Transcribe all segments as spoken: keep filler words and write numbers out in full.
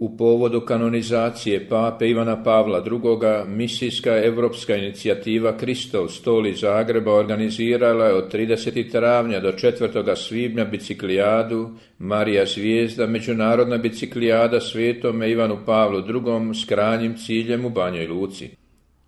U povodu kanonizacije pape Ivana Pavla drugoga. misijska evropska inicijativa Kristov stol iz Zagreba organizirala je od tridesetog travnja do četvrtog svibnja biciklijadu Marija Zvijezda, međunarodna biciklijada Svetome Ivanu Pavlu drugom s krajnjim ciljem u Banjoj Luci.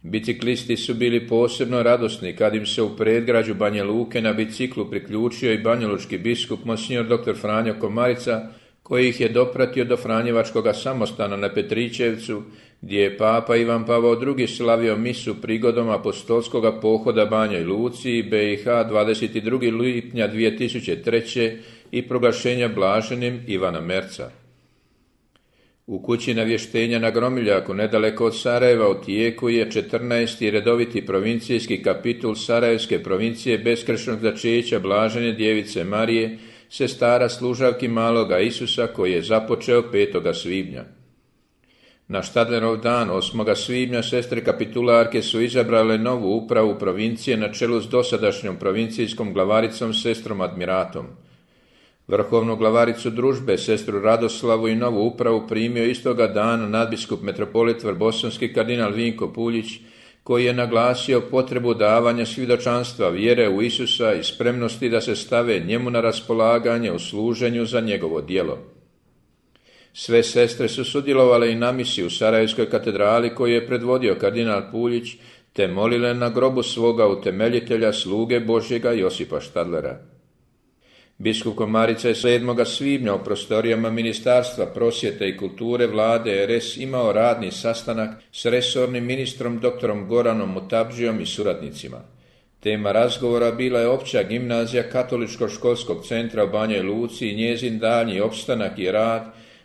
Biciklisti su bili posebno radosni kad im se u predgrađu Banje Luke na biciklu priključio i banjalučki biskup monsignor doktor Franjo Komarica, koji ih je dopratio do Franjevačkoga samostana na Petričevcu, gdje je papa Ivan Pavao drugi slavio misu prigodom apostolskoga pohoda Banjoj Luci i B i H dvadeset drugog lipnja dvije tisuće treće. i proglašenja blaženim Ivana Merca. U kući navještenja na Gromiljaku, nedaleko od Sarajeva, u tijeku je četrnaesti redoviti provincijski kapitul Sarajevske provincije beskršnog začeća blažene djevice Marije, sestara služavki maloga Isusa, koji je započeo petoga svibnja. Na Štadlerov dan, osmoga svibnja, sestre kapitularke su izabrale novu upravu provincije na čelu s dosadašnjom provincijskom glavaricom sestrom Admiratom. Vrhovnu glavaricu družbe, sestru Radoslavu, i novu upravu primio istoga dana nadbiskup metropolit Vrbosonski kardinal Vinko Puljić, koji je naglasio potrebu davanja svjedočanstva vjere u Isusa i spremnosti da se stave njemu na raspolaganje u služenju za njegovo djelo. Sve sestre su sudjelovale i na misi u Sarajevskoj katedrali koju je predvodio kardinal Puljić, te molile na grobu svoga utemeljitelja, sluge Božjega Josipa Štadlera. Biskup Komarica je sedmoga svibnja u prostorijama Ministarstva prosvjete i kulture vlade R S imao radni sastanak s resornim ministrom doktorom Goranom Mutabdžijom i suradnicima. Tema razgovora bila je opća gimnazija Katoličkog školskog centra u Banjoj Luci i njezin daljnji opstanak i rad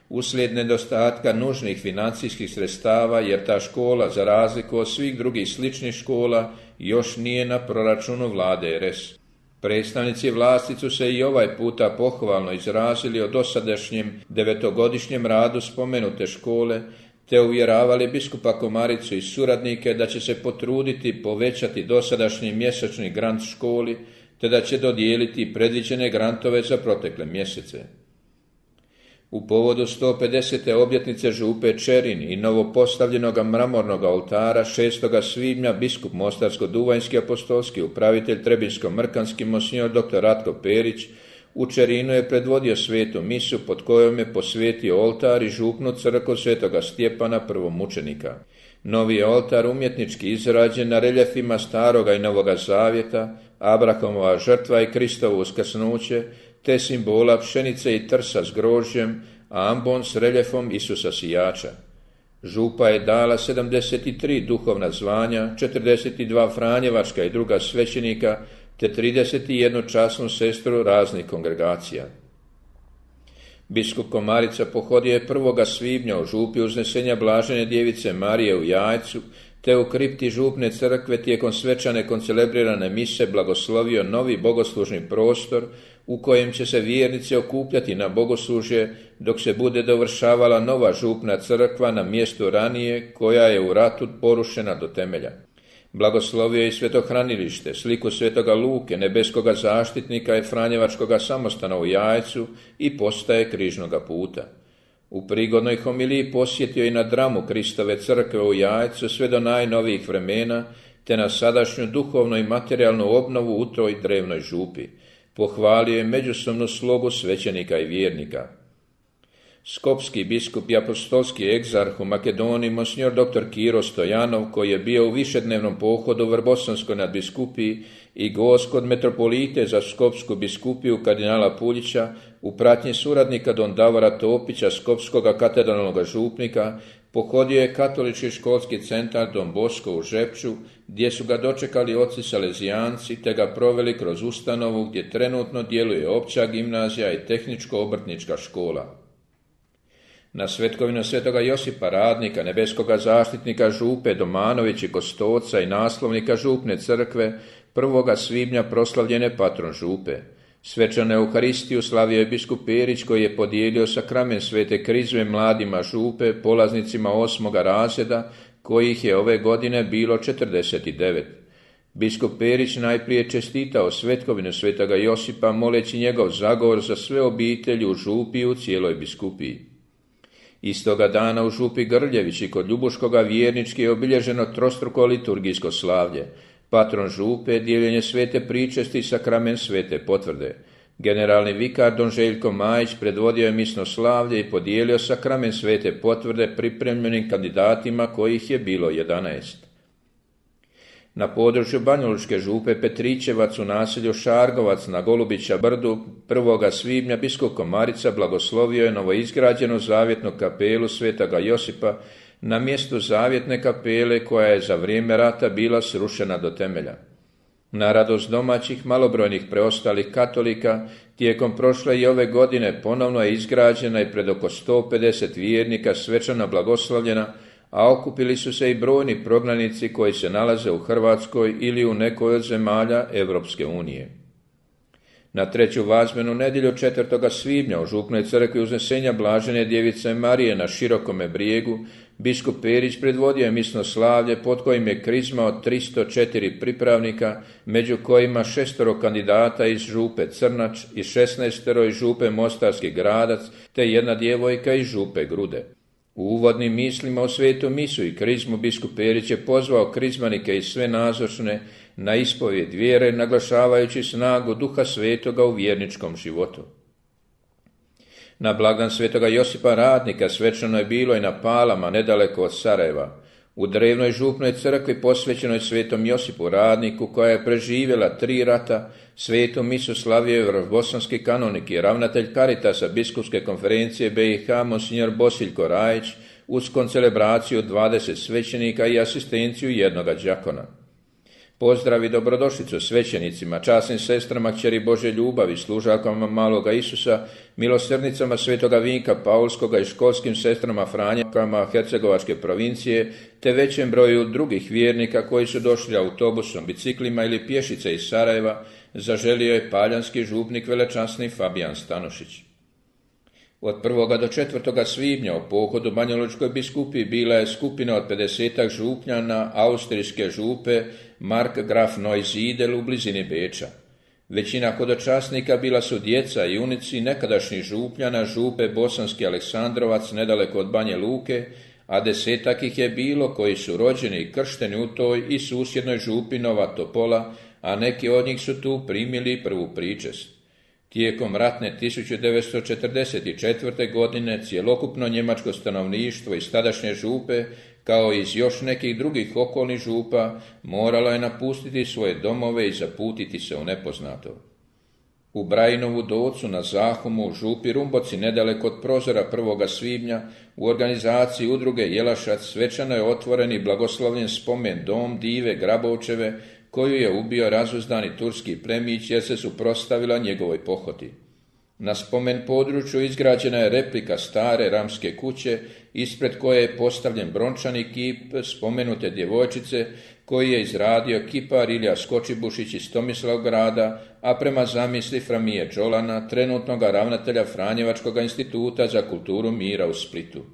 uslijed nedostatka nužnih financijskih sredstava, jer ta škola, za razliku od svih drugih sličnih škola, još nije na proračunu vlade R S. Predstavnici vlasti su se i ovaj puta pohvalno izrazili o dosadašnjem devetogodišnjem radu spomenute škole, te uvjeravali biskupa Komaricu i suradnike da će se potruditi povećati dosadašnji mjesečni grant školi, te da će dodijeliti predviđene grantove za protekle mjesece. U povodu sto pedesete obljetnice župe Čerin i novopostavljenog mramornog oltara šestoga svibnja biskup Mostarsko-duvanjski apostolski upravitelj Trebinsko-mrkanski monsignor doktor Ratko Perić u Čerinu je predvodio svetu misu pod kojom je posvetio oltar i župnu crkvu svetoga Stjepana prvomučenika. Novi je oltar umjetnički izrađen na reljefima Staroga i Novoga Zavjeta, Abrahamova žrtva i Kristovo uskrsnuće, te simbola pšenice i trsa s grožđem, a ambon s reljefom Isusa sijača. Župa je dala sedamdeset tri duhovna zvanja, četrdeset dva franjevačka i druga svećenika, te trideset jednu časnu sestru raznih kongregacija. Biskup Komarica pohodio je prvoga svibnja u župi uznesenja blažene djevice Marije u Jajcu, te u kripti župne crkve tijekom svečane koncelebrirane mise blagoslovio novi bogoslužni prostor u kojem će se vjernici okupljati na bogoslužje dok se bude dovršavala nova župna crkva na mjestu ranije koja je u ratu porušena do temelja. Blagoslovio je i svetohranilište, sliku svetoga Luke, nebeskoga zaštitnika i Franjevačkoga samostana u Jajcu i postaje križnoga puta. U prigodnoj homiliji posjetio i na dramu Kristove crkve u Jajcu sve do najnovijih vremena, te na sadašnju duhovnu i materijalnu obnovu u toj drevnoj župi. Pohvalio je međusobnu slogu svećenika i vjernika. Skopski biskup i apostolski egzarh u Makedoniji monsignor doktor Kiro Stojanov, koji je bio u višednevnom pohodu u Vrbosonskoj nadbiskupiji i gost kod metropolite za Skopsku biskupiju kardinala Puljića, u pratnji suradnika don Davora Topića, skopskoga katedralnog župnika, pohodio je katolički školski centar Don Bosco u Žepču, gdje su ga dočekali oci salezijanci, te ga proveli kroz ustanovu gdje trenutno djeluje opća gimnazija i tehničko-obrtnička škola. Na svetkovinu svetoga Josipa Radnika, nebeskoga zaštitnika župe Domanović i Gostoca i naslovnika župne crkve, prvoga svibnja proslavljen je patron župe. Svečanu Euharistiju slavio je biskup Perić, koji je podijelio sakramen svete krizme mladima župe, polaznicima osmoga razreda, kojih je ove godine bilo četrdeset devet. Biskup Perić najprije čestitao svetkovinu svetoga Josipa, moleći njegov zagovor za sve obitelji u župi i u cijeloj biskupiji. Istoga dana u župi Grljevići kod Ljubuškoga vjernički je obilježeno trostruko liturgijsko slavlje. Patron župe, dijeljenje svete pričesti i sakrament svete potvrde. Generalni vikar don Željko Majić predvodio je misno slavlje i podijelio sakrament svete potvrde pripremljenim kandidatima kojih je bilo jedanaest. Na području Banjalučke župe Petričevac u naselju Šargovac na Golubića brdu prvoga svibnja biskup Komarica blagoslovio je novoizgrađenu zavjetnu kapelu svetoga Josipa na mjestu zavjetne kapele koja je za vrijeme rata bila srušena do temelja. Na radost domaćih malobrojnih preostalih katolika, tijekom prošle i ove godine ponovno je izgrađena i pred oko sto pedeset vjernika svečano blagoslovljena, a okupili su se i brojni prognanici koji se nalaze u Hrvatskoj ili u nekoj od zemalja Europske unije. Na treću vazmenu nedjelju četvrtoga svibnja u župnoj crkvi Uznesenja Blažene Djevice Marije na Širokome brijegu biskup Perić predvodio je misno slavlje pod kojim je krizma od tristo četiri pripravnika, među kojima šestoro kandidata iz župe Crnač i šesnaestero iz župe Mostarski Gradac te jedna djevojka iz župe Grude. U uvodnim mislima o svetu misu i krizmu biskup Perić je pozvao krizmanike i sve nazočne na ispovjed vjere, naglašavajući snagu Duha Svetoga u vjerničkom životu. Na blagdan svetoga Josipa Radnika svečano je bilo i na Palama, nedaleko od Sarajeva. U drevnoj župnoj crkvi posvećenoj svetom Josipu Radniku, koja je preživjela tri rata, svetu misu slavio je bosanski kanonik i ravnatelj Karitasa biskupske konferencije B i H monsignor Bosiljko Rajić uz koncelebraciju dvadeset svećenika i asistenciju jednoga đakona. Pozdrav i dobrodošlicu svećenicima, časnim sestrama kćeri Bože ljubavi, služakama maloga Isusa, milosrdnicama svetoga Vinka Paulskoga i školskim sestrama Franjakama Hercegovačke provincije, te većem broju drugih vjernika koji su došli autobusom, biciklima ili pješice iz Sarajeva, zaželio je paljanski župnik velečasni Fabijan Stanošić. Od prvoga do četvrtoga svibnja u pohodu Banjalučkoj biskupiji bila je skupina od pedesetak župljana austrijske župe Mark Graf Neusiedl u blizini Beča. Većina hodočasnika bila su djeca i unici nekadašnjih župljana župe Bosanski Aleksandrovac nedaleko od Banje Luke, a desetak ih je bilo koji su rođeni i kršteni u toj i susjednoj župi Nova Topola, a neki od njih su tu primili prvu pričest. Tijekom ratne tisuću devetsto četrdeset četvrte. godine cjelokupno njemačko stanovništvo iz tadašnje župe, kao i iz još nekih drugih okolnih župa, moralo je napustiti svoje domove i zaputiti se u nepoznato. U Brajinovu Docu na Zahumu u župi Rumboci nedaleko od prozora prvoga svibnja u organizaciji udruge Jelašac svečano je otvoren i blagoslovljen spomen dom Dive Grabovčeve, koju je ubio razuzdani turski plemić jer se suprotstavila njegovoj pohoti. Na spomen području izgrađena je replika stare ramske kuće, ispred koje je postavljen brončani kip spomenute djevojčice koji je izradio kipar Ilija Skočibušić iz Tomislavgrada, a prema zamisli Framije Đolana, trenutnoga ravnatelja Franjevačkog instituta za kulturu mira u Splitu.